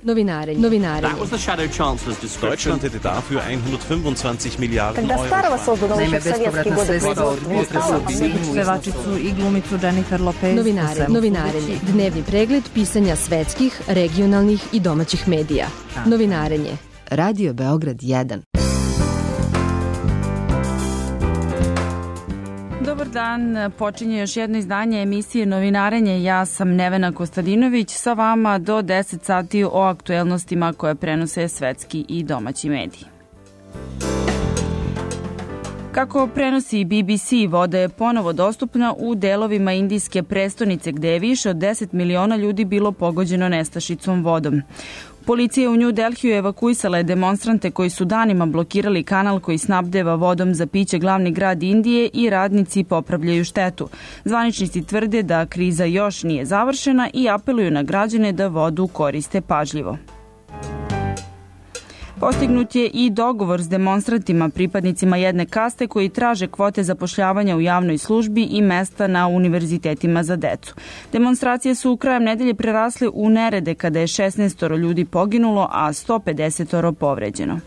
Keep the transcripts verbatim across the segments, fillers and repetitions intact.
Novinarenje. Novinarenje. That was the Shadow Chancellor's description. Deutschland hätte dafür hundertfünfundzwanzig Milijarden Когда старого Euro. создан еще в советские годы производства. Pevačicu i glumicu Jennifer Lopez. Novinare, novinarenje. Dnevni pregled pisanja svetskih, regionalnih i domaćih medija. Novinarenje. Radio Beograd jedan. Dobar dan, počinje još jedno izdanje emisije Novinarenje. Ja sam Nevena Kostadinović, sa vama do deset sati o aktuelnostima koje prenose svetski i domaći mediji. Kako prenosi B B C, voda je ponovo dostupna u delovima indijske prestonice gde je više od deset miliona ljudi bilo pogođeno nestašicom vodom. Policija u New Delhiju evakuisala je demonstrante koji su danima blokirali kanal koji snabdeva vodom za piće glavni grad Indije i radnici popravljaju štetu. Zvaničnici tvrde da kriza još nije završena i apeluju na građane da vodu koriste pažljivo. Postignut je i dogovor s demonstrantima, pripadnicima jedne kaste koji traže kvote zapošljavanja u javnoj službi i mesta na univerzitetima za decu. Demonstracije su krajem nedelje prerasle u nerede kada je šesnaest ljudi poginulo, a sto pedeset povređeno.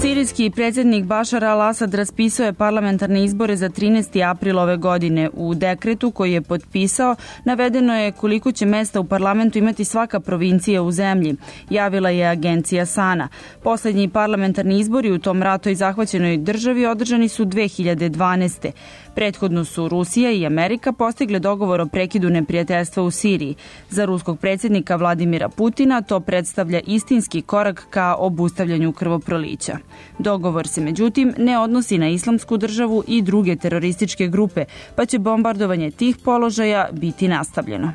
Sirijski predsjednik Bašar al-Asad raspisao je parlamentarne izbore za trinaesti april ove godine. U dekretu koji je potpisao navedeno je koliko će mesta u parlamentu imati svaka provincija u zemlji, javila je agencija Sana. Poslednji parlamentarni izbori u tom rato i zahvaćenoj državi održani su dve hiljade dvanaeste. Prethodno su Rusija i Amerika postigle dogovor o prekidu neprijateljstva u Siriji. Za ruskog predsjednika Vladimira Putina to predstavlja istinski korak ka obustavljanju krvoprolića. Dogovor se međutim ne odnosi na Islamsku državu i druge terorističke grupe, pa će bombardovanje tih položaja biti nastavljeno.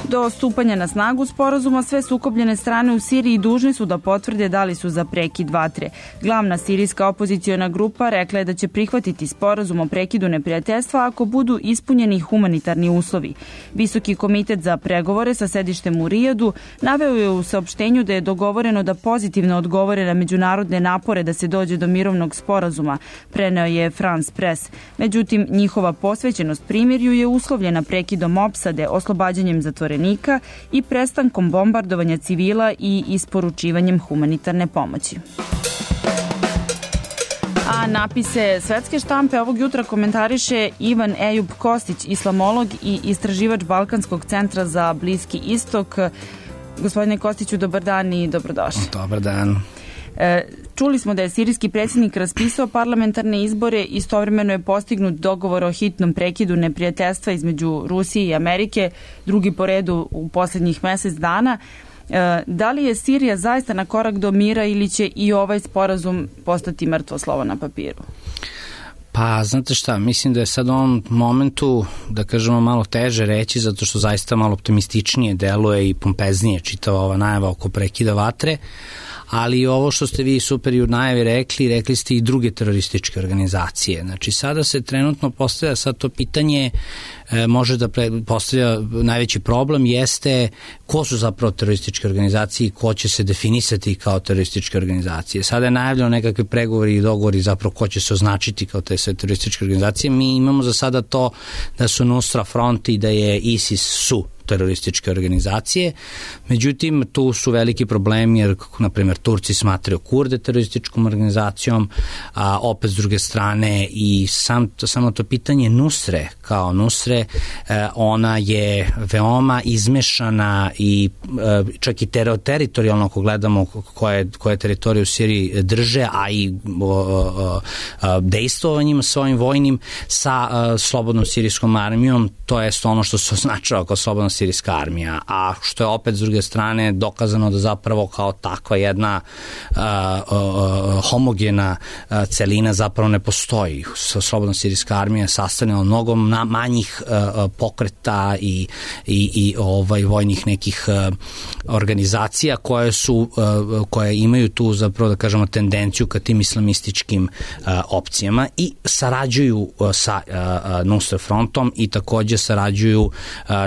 Do stupanja na snagu sporazuma sve sukobljene strane u Siriji dužne su da potvrde da li su za prekid vatre. Glavna sirijska opoziciona grupa rekla je da će prihvatiti sporazum o prekidu neprijateljstva ako budu ispunjeni humanitarni uslovi. Visoki komitet za pregovore sa sedištem u Rijadu naveo je u saopštenju da je dogovoreno da pozitivno odgovore na međunarodne napore da se dođe do mirovnog sporazuma, preneo je France Press. Međutim, njihova posvećenost primirju je uslovljena prekidom opsade, oslobađanjem zatvorenika i prestankom bombardovanja civila i isporučivanjem humanitarne pomoći. A napise svetske štampe ovog jutra komentariše Ivan Ejub Kostić, islamolog i istraživač Balkanskog centra za Bliski istok. Gospodine Kostiću, dobar dan i dobrodošli. Dobar dan. Čuli smo da je sirijski predsjednik raspisao parlamentarne izbore, istovremeno je postignut dogovor o hitnom prekidu neprijateljstva između Rusije i Amerike, drugi po redu u posljednjih mjesec dana. Da li je Sirija zaista na korak do mira ili će i ovaj sporazum postati mrtvo slovo na papiru? Pa, znate šta, mislim da je sad u ovom momentu, da kažemo, malo teže reći, zato što zaista malo optimističnije deluje i pompeznije čitava ova najava oko prekida vatre, ali ovo što ste vi super i u najavi rekli, rekli ste i druge terorističke organizacije. Znači, sada se trenutno postavlja sad to pitanje, e, može da pre, postavlja najveći problem, jeste ko su zapravo terorističke organizacije i ko će se definisati kao terorističke organizacije. Sada je najavljeno nekakve pregovori i dogovori zapravo ko će se označiti kao te sve terorističke organizacije. Mi imamo za sada to da su Nusra Front i da je ISIS su terorističke organizacije. Međutim, tu su veliki problemi jer, na primjer, Turci smatraju Kurde terorističkom organizacijom, a opet s druge strane i sam, samo to pitanje Nusre kao Nusre, eh, ona je veoma izmešana i eh, čak i ter, teritorijalno ako gledamo koje, koje teritorije u Siriji drže, a i o, o, o, dejstvovanjem svojim vojnim sa o, slobodnom sirijskom armijom, to je ono što se označava kao slobodna sirijska armija, a što je opet s druge strane dokazano da zapravo kao takva jedna uh, uh, homogena uh, celina zapravo ne postoji. Slobodna sirijska armija je sastavljena od mnogo manjih uh, pokreta i, i, i ovaj, vojnih nekih uh, organizacija koje su uh, koje imaju tu zapravo da kažemo tendenciju ka tim islamističkim uh, opcijama i sarađuju uh, sa uh, uh, Nusra Frontom i takođe sarađuju, uh,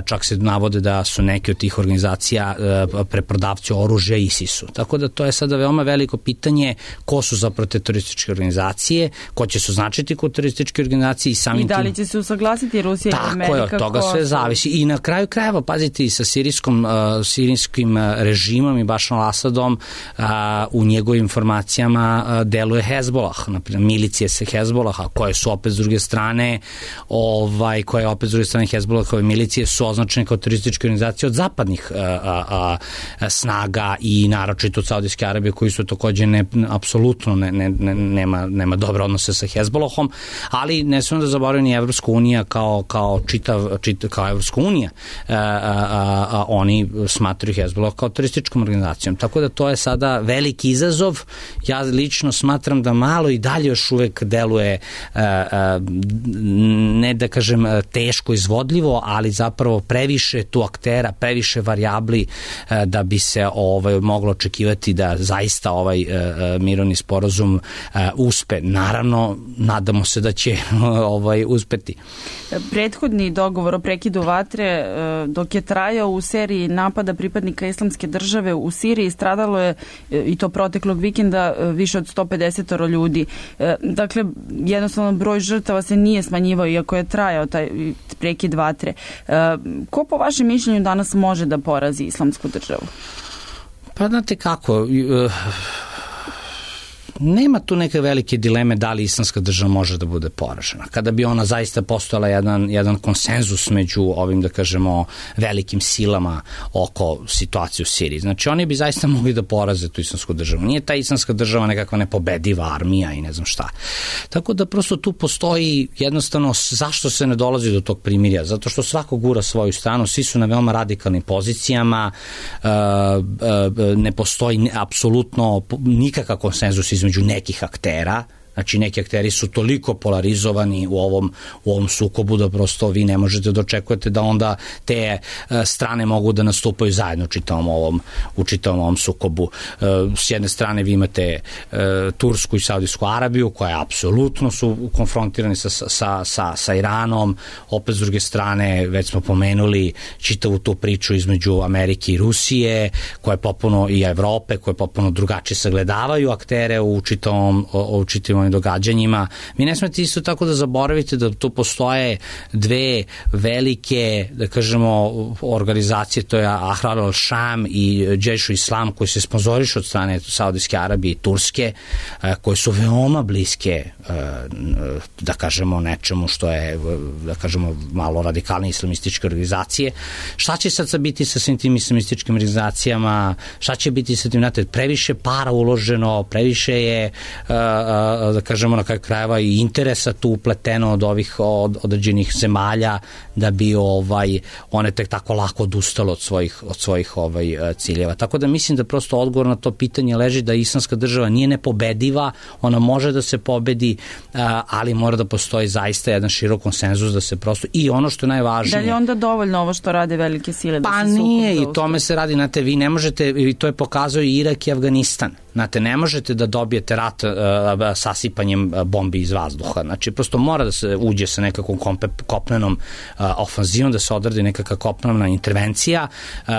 čak se navode da su neke od tih organizacija uh, preprodavci oružja ISIS-u. Tako da to je sada veoma veliko pitanje ko su zapravo te terorističke organizacije, ko će se označiti kao terorističke organizacije i samim tim... I da li će se usaglasiti spasiti Rusija i Amerika? Tako je, od toga sve zavisi. I na kraju krajeva, pazite, i sa sirijskom, uh, sirijskim režimom i Bašarom al-Asadom uh, u njegovim informacijama uh, deluje Hezbolah, naprimjer milicije se Hezbolaha, koje su opet s druge strane, ovaj, koje opet s druge strane Hezbolahove milicije su označene kao terorističke organizacije od zapadnih uh, uh, uh, snaga i naročito od Saudijske Arabije, koji su takođe ne, apsolutno ne, ne, ne, nema, nema dobre odnose sa Hezbolahom, ali ne smemo da zaboravimo ni Evropska unija kao, kao čitav, čitav kao Evropska unija, a, a, a oni smatraju Hezbolah kao terorističkom organizacijom. Tako da to je sada veliki izazov. Ja lično smatram da malo i dalje još uvek deluje a, a, ne da kažem teško izvodljivo, ali zapravo previše tu aktera, previše varijabli a, da bi se ovaj, moglo očekivati da zaista ovaj a, mirovni sporazum a, uspe. Naravno, nadamo se da će ovaj, uspeti. Prethodni dogovor o prekidu vatre dok je trajao u seriji napada pripadnika Islamske države u Siriji stradalo je i to proteklog vikenda više od sto pedeset ljudi. Dakle, jednostavno broj žrtava se nije smanjivao iako je trajao taj prekid vatre. Ko po vašem mišljenju danas može da porazi Islamsku državu? Pa znate kako, nema tu neke velike dileme da li Islamska država može da bude poražena. Kada bi ona zaista postojala jedan, jedan konsenzus među ovim, da kažemo, velikim silama oko situacije u Siriji. Znači, oni bi zaista mogli da poraze tu Islamsku državu. Nije ta Islamska država nekakva nepobediva armija i ne znam šta. Tako da prosto tu postoji jednostavno zašto se ne dolazi do tog primirja. Zato što svako gura svoju stranu, svi su na veoma radikalnim pozicijama, ne postoji apsolutno nikakav konsenzus između među nekih aktera, znači neki akteri su toliko polarizovani u ovom, u ovom sukobu da prosto vi ne možete da očekujete da onda te uh, strane mogu da nastupaju zajedno u čitavom ovom, u čitavom ovom sukobu. Uh, s jedne strane vi imate uh, Tursku i Saudijsku Arabiju koja apsolutno su konfrontirani sa, sa, sa, sa Iranom, opet s druge strane već smo pomenuli čitavu tu priču između Amerike i Rusije koja je popuno i Evrope koje popuno drugačije sagledavaju aktere u čitavom, u čitavom događanjima. Mi ne smete isto tako da zaboravite da tu postoje dve velike, da kažemo, organizacije, to je Ahrar al-Sham i Džejš Islam koji se sponzorišu od strane Saudijske Arabije i Turske, koje su veoma bliske, da kažemo, nečemu što je, da kažemo, malo radikalne islamističke organizacije. Šta će sad biti sa svim tim islamističkim organizacijama? Šta će biti sa tim? Znate, previše para uloženo, previše je da kažemo na kraju krajeva i interesa tu upleteno od ovih od određenih zemalja da bi ovaj one tek tako lako odustalo od svojih od svojih ovaj ciljeva. Tako da mislim da prosto odgovor na to pitanje leži da Islamska država nije nepobediva, ona može da se pobedi, ali mora da postoji zaista jedan širok konsenzus da se prosto i ono što je najvažnije. Da li je onda dovoljno ovo što rade velike sile da pa se sukob nije i tome se radi, znate, vi ne možete, i to je pokazao i Irak i Afganistan. Znate, ne možete da dobijete rat uh, sasipanjem bombi iz vazduha. Znači, prosto mora da se uđe sa nekakvom kompe, kopnenom uh, ofanzivom, da se odradi nekakva kopnena intervencija. Uh,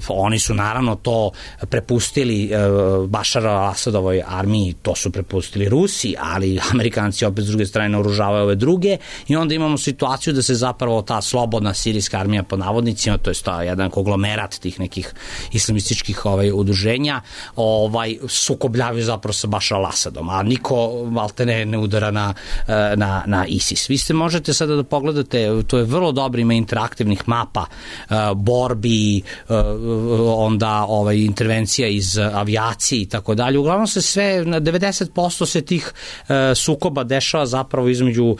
oni su naravno to prepustili uh, Bašar al-Asadovoj armiji, to su prepustili Rusi, ali Amerikanci opet s druge strane naoružavaju ove druge i onda imamo situaciju da se zapravo ta slobodna sirijska armija pod navodnicima, to je to jedan konglomerat tih nekih islamističkih ovaj, udruženja, ovaj sukobljavaju zapravo sa Bašar al-Asadom, a niko maltene ne udara na, na, na ISIS. Vi ste možete sada da pogledate, to je vrlo dobro, ima interaktivnih mapa, borbi, onda ovaj, intervencija iz avijacije i tako dalje. Uglavnom se sve, na devedeset posto se tih sukoba dešava zapravo između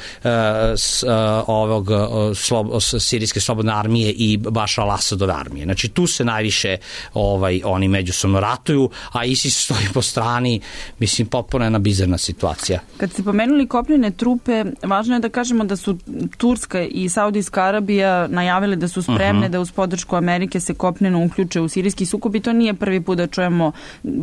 ovog slob, sirijske slobodne armije i Bašar al-Asadove armije. Znači tu se najviše ovaj, oni međusobno ratuju, a ISIS stoji po strani, mislim, potpuno jedna bizarna situacija. Kad ste pomenuli kopnene trupe, važno je da kažemo da su Turska i Saudijska Arabija najavile da su spremne uh-huh. da uz podršku Amerike se kopneno uključe u sirijski sukob i to nije prvi put da čujemo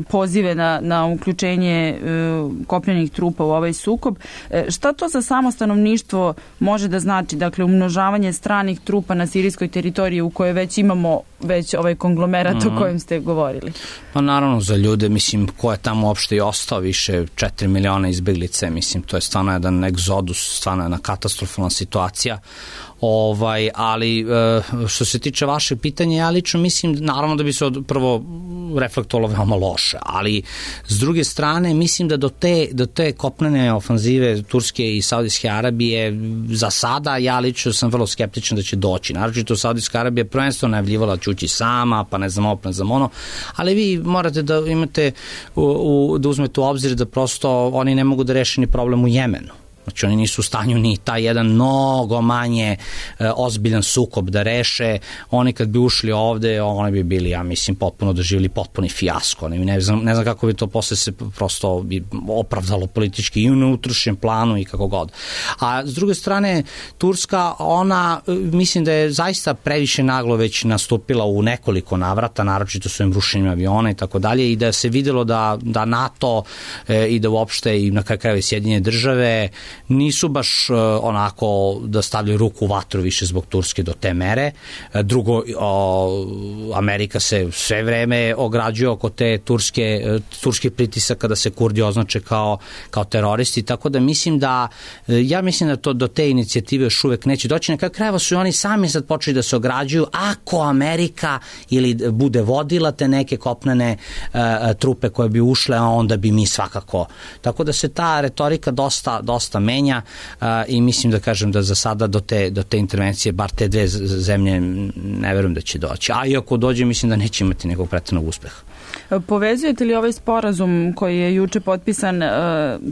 pozive na, na uključenje uh, kopnenih trupa u ovaj sukob. E, šta to za samo stanovništvo može da znači? Dakle, umnožavanje stranih trupa na sirijskoj teritoriji u kojoj već imamo već ovaj konglomerat uh-huh. o kojem ste govorili. Pa naravno za ljude, mislim, mislim, ko je tamo uopšte i ostao, više četiri miliona izbeglice, mislim, to je stvarno jedan egzodus, stvarno jedna katastrofalna situacija. Ovaj, ali što se tiče vaše pitanja, ja lično mislim naravno da bi se od, prvo reflektovalo veoma loše, ali s druge strane mislim da do te, do te kopnene ofanzive Turske i Saudijske Arabije za sada ja lično sam vrlo skeptičan da će doći. Naročito Saudijska Arabija prvenstveno najavljivala da će ući sama, pa ne znam ovo, ne znam ono, ali vi morate da imate u, u, da uzmete u obzir da prosto oni ne mogu da reše ni problem u Jemenu. Znači oni nisu u stanju ni taj jedan mnogo manje e, ozbiljan sukob da reše. Oni kad bi ušli ovde, oni bi bili, ja mislim, potpuno doživjeli potpuni fijasko. Ne, ne, znam, ne znam kako bi to posle se prosto bi opravdalo politički i u neutrošenjem planu i kako god. A s druge strane, Turska, ona, mislim da je zaista previše naglo već nastupila u nekoliko navrata, naročito su im rušenjem aviona i tako dalje, i da se videlo da, da NATO e, i da uopšte i na kraju krajeva Sjedinjene države nisu baš uh, onako da stavljaju ruku u vatru više zbog Turske do te mere. Drugo, uh, Amerika se sve vreme ograđuje oko te turske, uh, turske pritisaka da se Kurdi označe kao, kao teroristi, tako da mislim da, uh, ja mislim da to do te inicijative još uvek neće doći. Na kraju krajeva su i oni sami sad počeli da se ograđuju, ako Amerika ili bude vodila te neke kopnene uh, trupe koje bi ušle, a onda bi mi svakako. Tako da se ta retorika dosta, dosta menja uh, i mislim da kažem da za sada do te, do te intervencije, bar te dve zemlje, ne verujem da će doći. A i ako dođe, mislim da neće imati nekog pretrednog uspeha. Povezujete li ovaj sporazum koji je juče potpisan uh,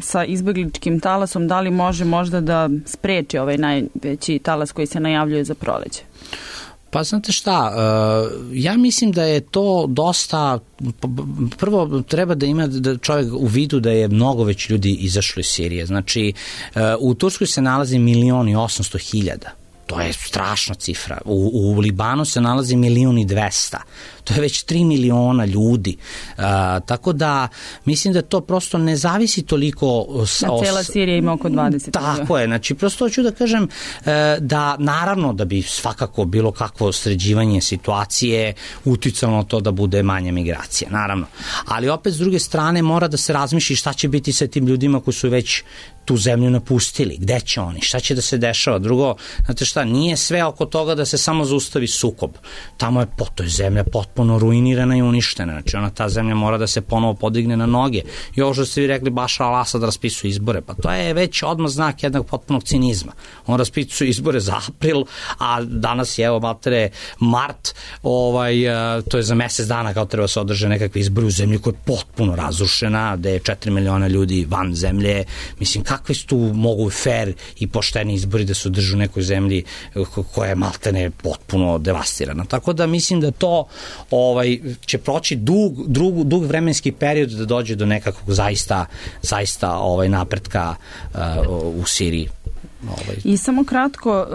sa izbegličkim talasom, da li može možda da spreči ovaj najveći talas koji se najavljuje za proleće? Pa znate šta, ja mislim da je to dosta, prvo treba da ima da čovjek u vidu da je mnogo već ljudi izašlo iz Sirije. Znači, u Turskoj se nalazi milion i osamsto hiljada. To je strašna cifra. U, u Libanu se nalazi milion i dvesta. To je već tri miliona ljudi. Uh, tako da mislim da to prosto ne zavisi toliko... S, a cela Sirija ima oko dvadeset. Tako je. Znači, prosto hoću da kažem uh, da naravno da bi svakako bilo kakvo sređivanje situacije uticalo na to da bude manja migracija. Naravno. Ali opet s druge strane mora da se razmišlji šta će biti sa tim ljudima koji su već tu zemlju napustili. Gde će oni? Šta će da se dešava? Drugo, znate šta, nije sve oko toga da se samo zaustavi sukob. Tamo je, po, to je zemlja potpuno ruinirana i uništena. Znači ona, ta zemlja mora da se ponovo podigne na noge. I ovo što ste vi rekli, Bašar al-Asad raspisuje izbore. Pa to je već odmah znak jednog potpunog cinizma. On raspisuje izbore za april, a danas je, evo, matere, mart, ovaj, to je za mesec dana kao treba se održe nekakve izbore u zemlji koja je potpuno razrušena, gde je četiri miliona ljudi van zemlje. Mislim, kakvi su tu mogu fair i pošteni izbori da se održu u nekoj zemlji koja je maltene potpuno devastirana. Tako da mislim da to ovaj, će proći dug, dug, dug vremenski period da dođe do nekakvog zaista, zaista ovaj, napretka uh, u Siriji. Ovaj. I samo kratko,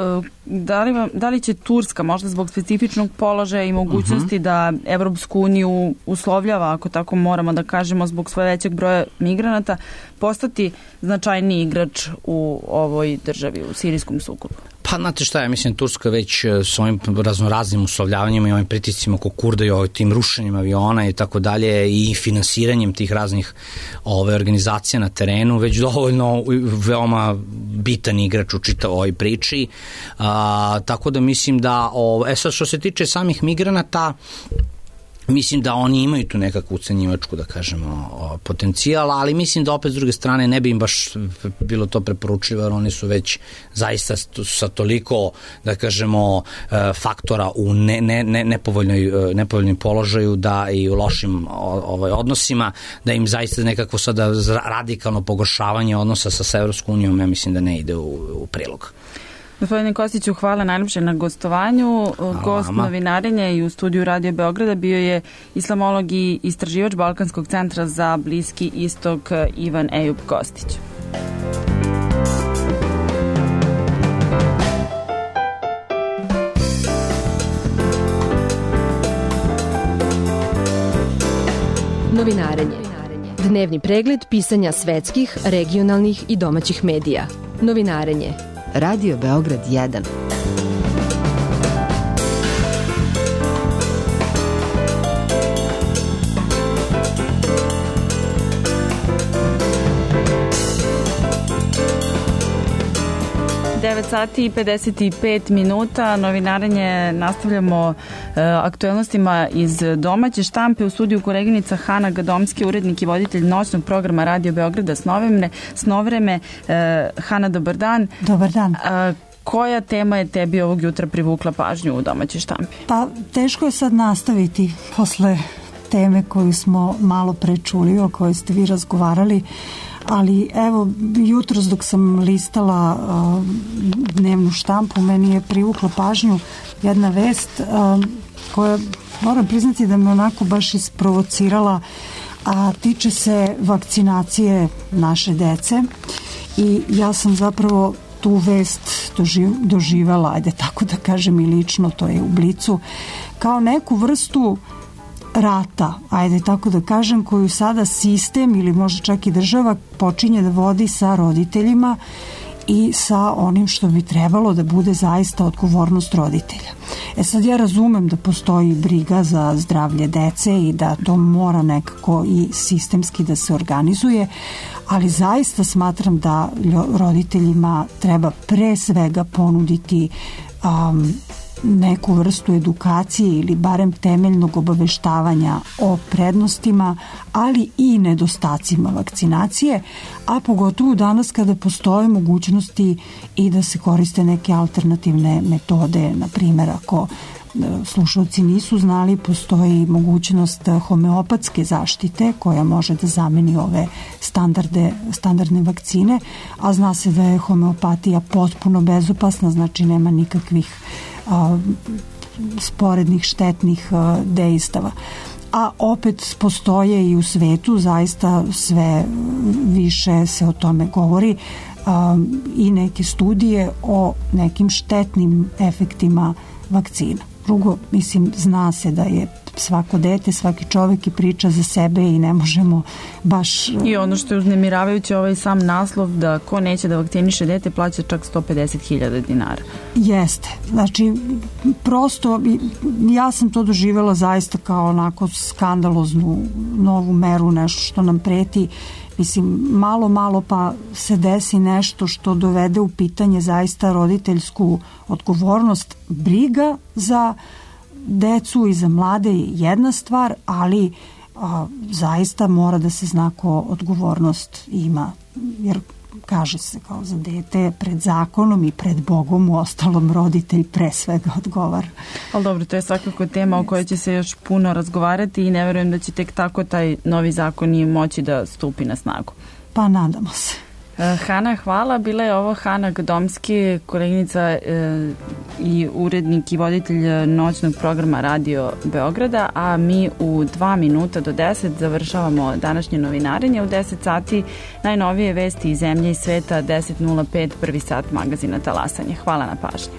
da li, vam, da li će Turska možda zbog specifičnog položaja i mogućnosti uh-huh. da Evropsku uniju uslovljava, ako tako moramo da kažemo, zbog sve većeg broja migranata, postati značajniji igrač u ovoj državi, u sirijskom sukobu? Pa, znate šta, ja mislim, Turska već s ovim raznoraznim uslovljavanjima i ovim pritiscima oko Kurda i ovim tim rušenjem aviona i tako dalje i finansiranjem tih raznih ove organizacija na terenu već dovoljno veoma bitan igrač u čitavoj ovoj priči. A, tako da mislim da, o, e sad što se tiče samih migranata, mislim da oni imaju tu nekakvu ucenjivačku, da kažemo, potencijal, ali mislim da opet s druge strane ne bi im baš bilo to preporučivo, jer oni su već zaista sa toliko, da kažemo, faktora u ne, ne, ne, nepovoljnoj, nepovoljnom položaju da i u lošim ovaj, odnosima, da im zaista nekako sada radikalno pogoršavanje odnosa sa Evropskom unijom, ja mislim da ne ide u, u prilog. Gospodine Kostiću, hvala najljepše na gostovanju. Gost novinarenja i u studiju Radio Beograda bio je islamolog i istraživač Balkanskog centra za Bliski istok Ivan Ejub Kostić. Novinarenje. Dnevni pregled pisanja svetskih, regionalnih i domaćih medija. Novinarenje. Radio Beograd jedan. sati i pedeset pet minuta, novinarenje nastavljamo e, aktuelnostima iz domaće štampe. U studiju koleginica Hana Gadomski, urednik i voditelj noćnog programa Radio Beograda Snovreme. Snovreme. E, Hana, dobar dan. Dobar dan. A, koja tema je tebi ovog jutra privukla pažnju u domaćoj štampi? Pa teško je sad nastaviti posle teme koju smo malo pre čuli, o kojoj ste vi razgovarali, ali evo, jutros dok sam listala uh, dnevnu štampu, meni je privukla pažnju jedna vest uh, koja, moram priznati da me onako baš isprovocirala, a tiče se vakcinacije naše dece i ja sam zapravo tu vest doživ, doživela, ajde tako da kažem i lično, to je u Blicu, kao neku vrstu rata, ajde tako da kažem, koju sada sistem ili možda čak i država počinje da vodi sa roditeljima i sa onim što bi trebalo da bude zaista odgovornost roditelja. E sad ja razumem da postoji briga za zdravlje dece i da to mora nekako i sistemski da se organizuje, ali zaista smatram da roditeljima treba pre svega ponuditi um, neku vrstu edukacije ili barem temeljnog obaveštavanja o prednostima, ali i nedostacima vakcinacije, a pogotovo danas kada postoje mogućnosti i da se koriste neke alternativne metode. Na primjer, ako slušalci nisu znali, postoji mogućnost homeopatske zaštite koja može da zameni ove standarde, standardne vakcine, a zna se da je homeopatija potpuno bezopasna, znači nema nikakvih a, sporednih štetnih a, dejstava. A opet postoje i u svetu, zaista sve više se o tome govori, a, i neke studije o nekim štetnim efektima vakcina. Drugo, mislim, zna se da je svako dete, svaki čovek i priča za sebe i ne možemo baš... I ono što je uznemiravajuće, ovaj sam naslov da ko neće da vakciniše dete plaća čak sto pedeset hiljada dinara. Jeste. Znači, prosto ja sam to doživela zaista kao onako skandaloznu novu meru, nešto što nam preti. Mislim, malo, malo pa se desi nešto što dovede u pitanje zaista roditeljsku odgovornost. Briga za decu i za mlade je jedna stvar, ali a, zaista mora da se zna ko odgovornost ima, jer kaže se kao za dete pred zakonom i pred Bogom, u ostalom roditelj pre svega odgovara. Ali dobro, to je svakako tema o kojoj će se još puno razgovarati i ne verujem da će tek tako taj novi zakon i moći da stupi na snagu. Pa nadamo se. Hana, hvala. Bila je ovo Hana Gadomski, koleginica e, i urednik i voditelj noćnog programa Radio Beograda, a mi u dva minuta do deset završavamo današnje novinarenje. U deset sati najnovije vesti iz zemlje i sveta, deset nula pet, prvi sat magazina Talasanje. Hvala na pažnji.